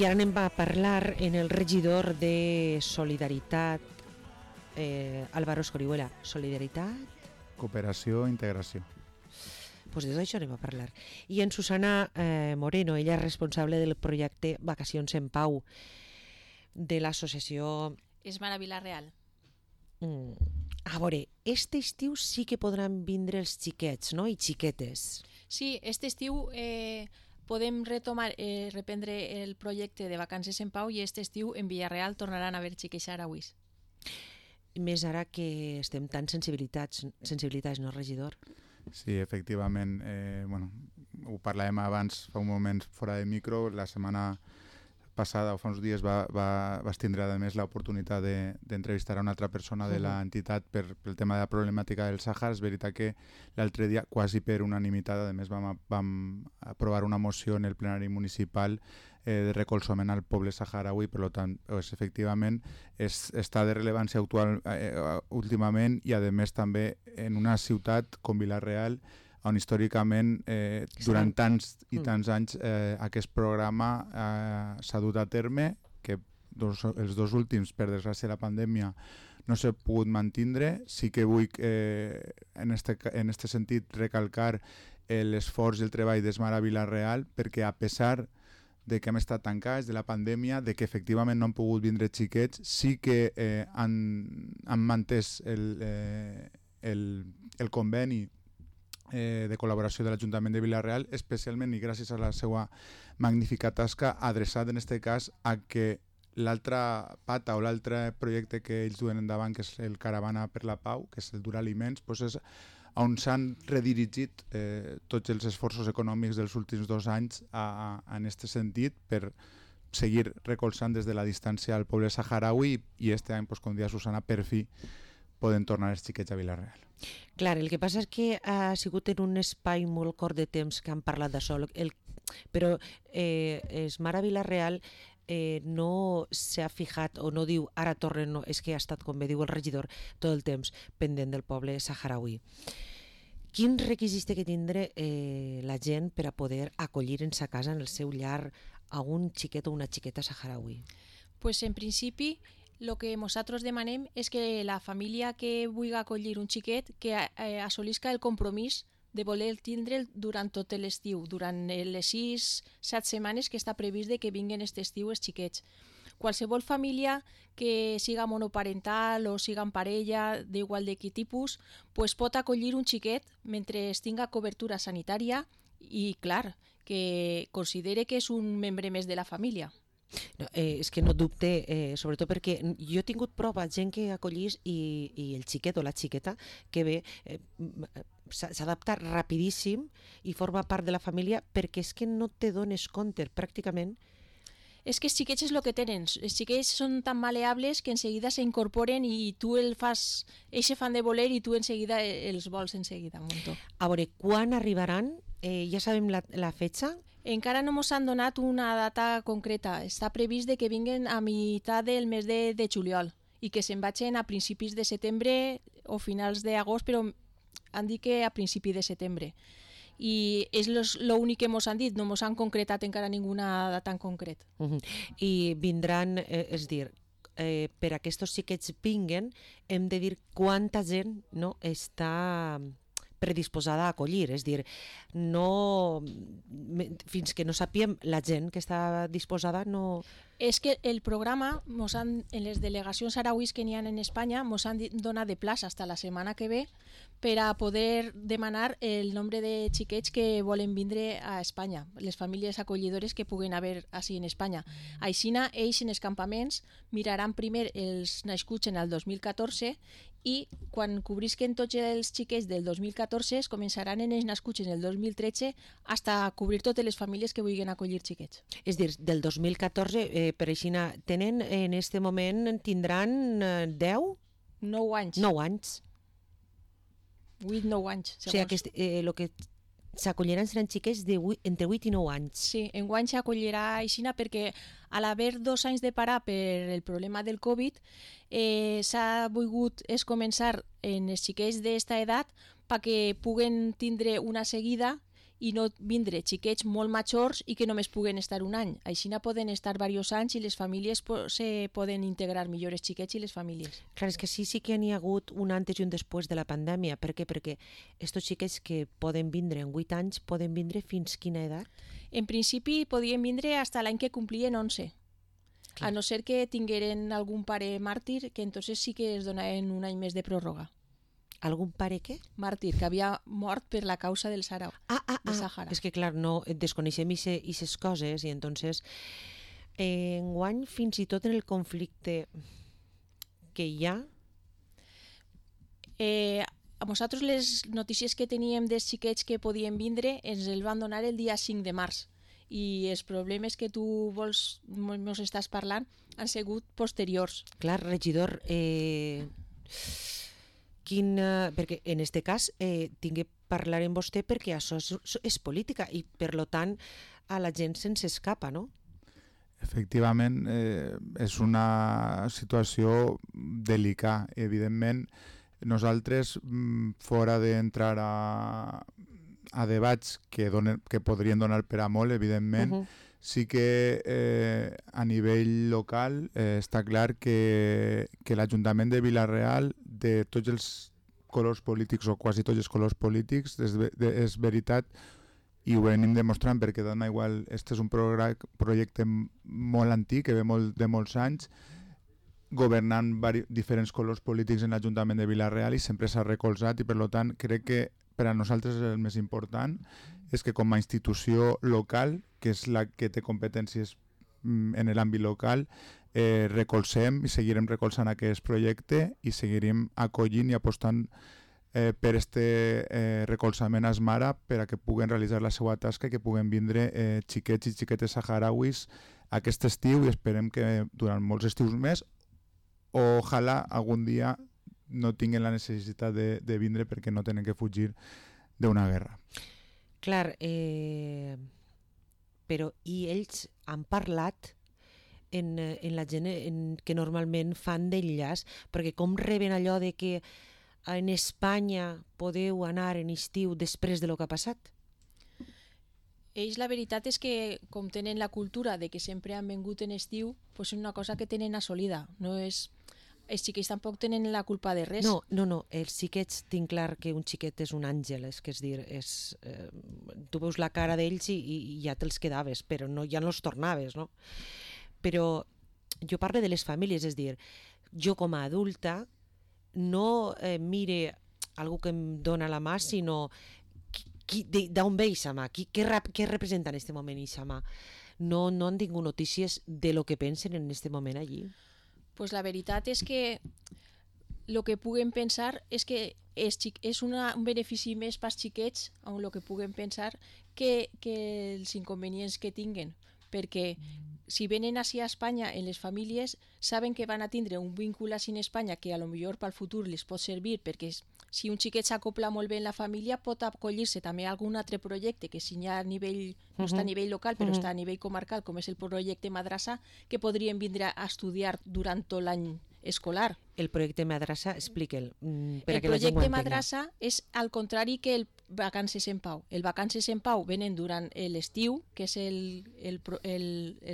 ara anem a parlar en el regidor de Solidaritat, Álvaro Escorihuela. Solidaritat? Cooperació, integració. Pues de tot això anem a parlar. I en Susana Moreno, ella és responsable del projecte Vacacions en Pau de l'associació... Esmara Vila-real. A veure, este estiu sí que podran vindre els xiquets, no? I xiquetes. Sí, este estiu podem reprendre el projecte de Vacances en Pau i este estiu en Vila-real tornaran a haver xiquets sarauis. Més ara que estem tan sensibilitats, no, regidor? Sí, efectivament. Ho parlàvem abans, fa un moment fora de micro. La setmana passada o fa uns dies vas tindre a més l'oportunitat d'entrevistar a una altra persona de l'entitat pel tema de la problemàtica del Sàhara. És veritat que l'altre dia, quasi per unanimitat, a més vam aprovar una moció en el plenari municipal de recolzament al poble saharaui. Per tant, efectivament està de rellevància últimament i a més també en una ciutat com Vila-real, on històricament durant tants i tants anys aquest programa s'ha dut a terme, que els dos últims, per desgràcia de la pandèmia, no s'ha pogut mantindre. Sí que vull en este sentit recalcar l'esforç i el treball d'Esmara Vila-real, perquè a pesar de que hem estat tancats de la pandèmia, de que efectivament no han pogut vindre xiquets, sí que han mantès el conveni de col·laboració de l'Ajuntament de Vila-real, especialment i gràcies a la seva magnífica tasca, adreçat en aquest cas a que l'altra pata o l'altre projecte que ells duen endavant, que és el Caravana per la Pau, que és el dur aliments, és on s'han redirigit tots els esforços econòmics dels últims 2 anys en aquest sentit, per seguir recolzant des de la distància al poble saharaui, i aquest any, com deia Susana, per fi poden tornar els xiquets a Vila-real. Clar, el que passa és que ha sigut en un espai molt curt de temps que han parlat d'això, però Esmara Vila-real no s'ha fijat o no diu ara tornen, no, és que ha estat, com bé diu el regidor, tot el temps pendent del poble saharaui. Quins requisits té que tindre la gent per a poder acollir en sa casa, en el seu llar, a un xiquet o una xiqueta saharaui? Pues en principi el que nosaltres demanem és que la família que vulgui acollir un xiquet que assolisca el compromís de voler tindre'l durant tot l'estiu, durant les 6-7 setmanes que està previst de que vinguin aquest estiu els xiquets. Qualsevol família que siga monoparental o siga en parella, d'igual de quin tipus, pues pot acollir un xiquet mentre tinga cobertura sanitària i, clar, que considere que és un membre més de la família. No, és que no dubte, sobretot perquè jo he tingut prova gent que acollís i el xiquet o la xiqueta que ve s'adapta rapidíssim i forma part de la família, perquè és que no te dones compte pràcticament. És que els xiquets és el que tenen, els xiquets són tan maleables que enseguida s'incorporen i tu el fas, eixe fan de voler i tu enseguida els vols enseguida. A veure, quan arribaran? Ja sabem la fetxa? Encara no ens han donat una data concreta. Està previst de que vinguen a meitat del mes de juliol i que se'n vagin a principis de setembre o finals d'agost, però han dit que a principi de setembre. I és l'únic que ens han dit, no ens han concretat encara ninguna data en concret. I vindran, és dir, per a que aquests xiquets vinguen, hem de dir quanta gent està predisposada a acollir, és dir, no, fins que no sapiem la gent que està disposada no... És que el programa, en les delegacions sarauis que n'hi ha en Espanya, ens han donat de plaç fins la setmana que ve per a poder demanar el nombre de xiquets que volen vindre a Espanya, les famílies acollidores que puguen haver així en Espanya. Aixina, ells en els campaments miraran primer els nascuts en el 2014 i quan cobrisquen tots els xiquets del 2014 es començaran en els nascuts en el 2013 fins a cobrir totes les famílies que vulguin acollir xiquets. És dir, del 2014, per així, tenen en aquest moment, tindran 10? 9 anys. 9 anys. 8-9 anys. O sigui, el que s'acolliran seran xiquets entre 8 i 9 anys. Sí, enguany s'acollirà aixina perquè a l'haver 2 anys de parar per el problema del Covid s'ha volgut començar en els xiquets d'esta edat perquè puguen tindre una seguida i no vindre xiquets molt majors i que només puguen estar un any. Així poden estar diversos anys i les famílies se poden integrar millor els xiquets i les famílies. Clar, és que sí que n'hi ha hagut un antes i un després de la pandèmia. Per què? Perquè estos xiquets que poden vindre en 8 anys poden vindre fins quina edat? En principi podien vindre fins l'any que complien 11. A no ser que tingueren algun pare màrtir, que entonces sí que es donaven un any més de pròrroga. Algun pare què? Màrtir, que havia mort per la causa del Sahara. Sàhara. És que clar, no desconeixem aquestes coses i entonces enguany fins i tot en el conflicte que hi ha... A nosaltres les notícies que teníem dels xiquets que podien vindre ens el van donar el dia 5 de març i els problemes que tu ens estàs parlant han sigut posteriors. Clar, regidor, perquè en este cas tinc que parlar amb vostè perquè això és política i per lo tant a la gent se'ns escapa, no? Efectivament, és una situació delicada. Evidentment, nosaltres, fora d'entrar a debats que podrien donar per a molt, evidentment, sí que a nivell local està clar que l'Ajuntament de Vila-real, de tots els colors polítics o quasi tots els colors polítics, és veritat, i ho venim demostrant perquè dona igual, este és un projecte molt antic, que ve de molts anys, governant diferents colors polítics en l'Ajuntament de Vila-real i sempre s'ha recolzat i per tant crec que per a nosaltres el més important és que com a institució local, que és la que té competències en l'àmbit local, recolzem i seguirem recolzant aquest projecte i seguirem acollint i apostant per este recolzament a Esmara per a que puguen realitzar la seva tasca i que puguen vindre xiquets i xiquetes saharauis aquest estiu i esperem que durant molts estius més ojalà algun dia no tinguin la necessitat de vindre perquè no tenen que fugir d'una guerra. Clar, però i ells han parlat en la gent que normalment fan d'enllaç, perquè com reben allò de que en Espanya podeu anar en estiu després de lo que ha passat? Ells la veritat és que com tenen la cultura de que sempre han vingut en estiu, pues és una cosa que tenen assolida. No és... Els xiquets tampoc tenen la culpa de res. No, els xiquets tinc clar que un xiquet és un àngel, és dir, tu veus la cara d'ells i ja te'ls quedaves, però ja no els tornaves, no? Però jo parlo de les famílies, és dir, jo com a adulta no mire algú que em dona la mà, sinó d'on ve aquesta mà, què representa en aquest moment aquesta mà. No han tingut notícies de lo que pensen en aquest moment allí. Pues la veritat és que el que puguen pensar és que és un benefici més pels xiquets on el que puguen pensar que els inconvenients que tinguen, perquè si venen així a Espanya en les famílies saben que van a tindre un vincle així en Espanya que a lo millor pel futur les pot servir, perquè si un xiquet s'acopla molt bé en la família pot acollir-se també a algun altre projecte que si ja a nivell, no està a nivell local però està a nivell comarcal, com és el projecte Madrassa, que podrien vindre a estudiar durant tot l'any escolar. El projecte Madrassa, explica'l. El projecte Madrassa és al contrari que el Vacances en Pau. El Vacances en Pau venen durant l'estiu, que és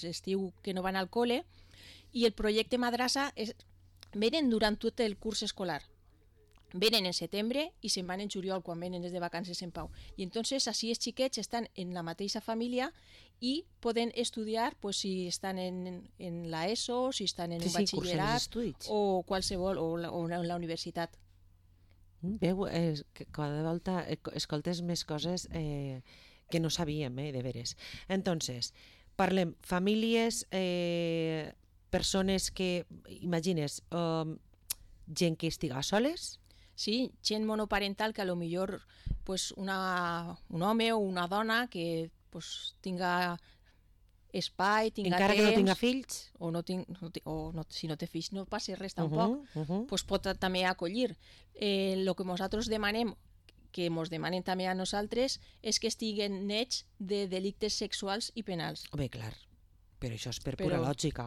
l'estiu que no van al col·le, i el projecte Madrassa venen durant tot el curs escolar. Venen en setembre i se'n van en juliol quan venen els de Vacances en Pau. I entonces així els xiquets estan en la mateixa família i poden estudiar pues, si estan en la ESO, si estan en un batxillerat o qualsevol, o en la universitat. Veu, cada volta escoltes més coses que no sabíem, de veres. Entonces, parlem famílies, persones que, imagines, gent que estiga soles. Sí, gent monoparental que a lo millor pues, un home o una dona que pues, tinga espai, tinga encara temps... Encara que no tinga fills? Si no té fills no passa res tampoc, pues pot també acollir. El que nosaltres demanem, que ens demanen també a nosaltres, és que estiguen nets de delictes sexuals i penals. Bé, clar. Però això és per pura lògica.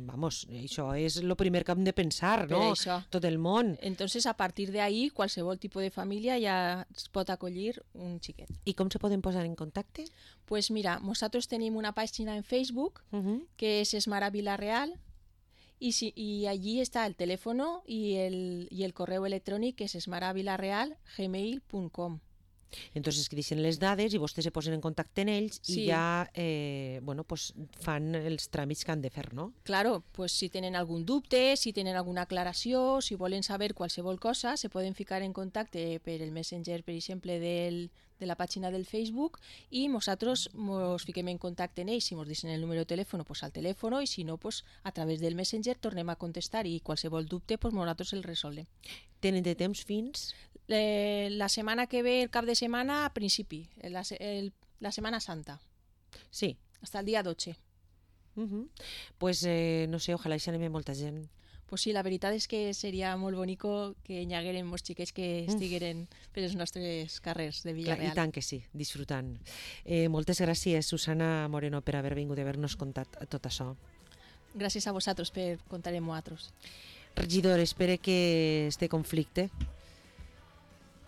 Vamos, això és el primer que hem de pensar, no? Tot el món. Entonces, a partir de ahí, qualsevol tipus de família ja es pot acollir un xiquet. I com se poden posar en contacte? Pues mira, nosaltres tenim una pàgina en Facebook que és Esmara Vila-real y allí está el teléfono y el correu electrònic que és esmaravilareal@gmail.com. Entonces que deixen les dades i vostès se posen en contacte amb ells i ja fan els tràmits que han de fer, no? Claro, pues si tenen algun dubte, si tenen alguna aclaració, si volen saber qualsevol cosa, se poden ficar en contacte per el Messenger, per exemple, de la pàgina del Facebook i nosaltres ens fiquem en contacte amb ells. Si ens deixen el número de telèfon, pues al telèfon, i si no, pues a través del Messenger tornem a contestar i qualsevol dubte pues nosaltres el resolem. Tenen de temps fins? La setmana que ve, el cap de setmana, a principi, la Setmana Santa. Sí. Hasta el dia 12. Pues no sé, ojalà hi anem molta gent. Pues sí, la veritat és que seria molt bonico que hi hagueren molts xiquets que estigueren per els nostres carrers de Vila-real. I tant que sí, disfrutant. Moltes gràcies, Susana Moreno, per haver vingut i haver-nos contat tot això. Gràcies a vosaltres per contar amb nosaltres. Regidor, espero que este conflicte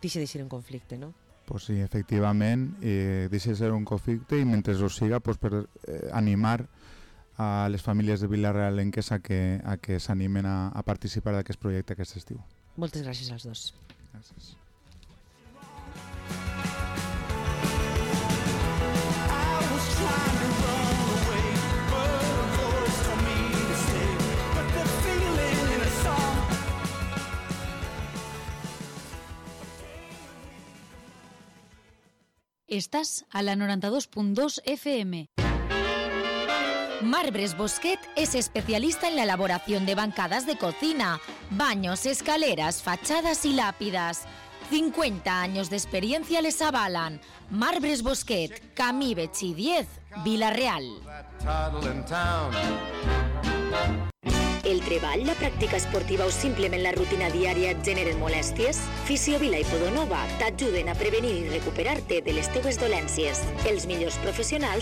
deixi de ser un conflicte, no? Pues sí, efectivament, deixa de ser un conflicte i mentre ho siga, pues, per animar a les famílies de Vila-realenques a que s'animen a participar d'aquest projecte aquest estiu. Moltes gràcies als dos. Gràcies. Estás a la 92.2 FM. Marbres Bosquet es especialista en la elaboración de bancadas de cocina, baños, escaleras, fachadas y lápidas. 50 años de experiencia les avalan. Marbres Bosquet, Camí Betxí 10, Vila-real. El treball, la pràctica esportiva o simplement la rutina diària et generen molèsties? Fisiovila i Podonova t'ajuden a prevenir i recuperar-te de les teves dolències. Els millors professionals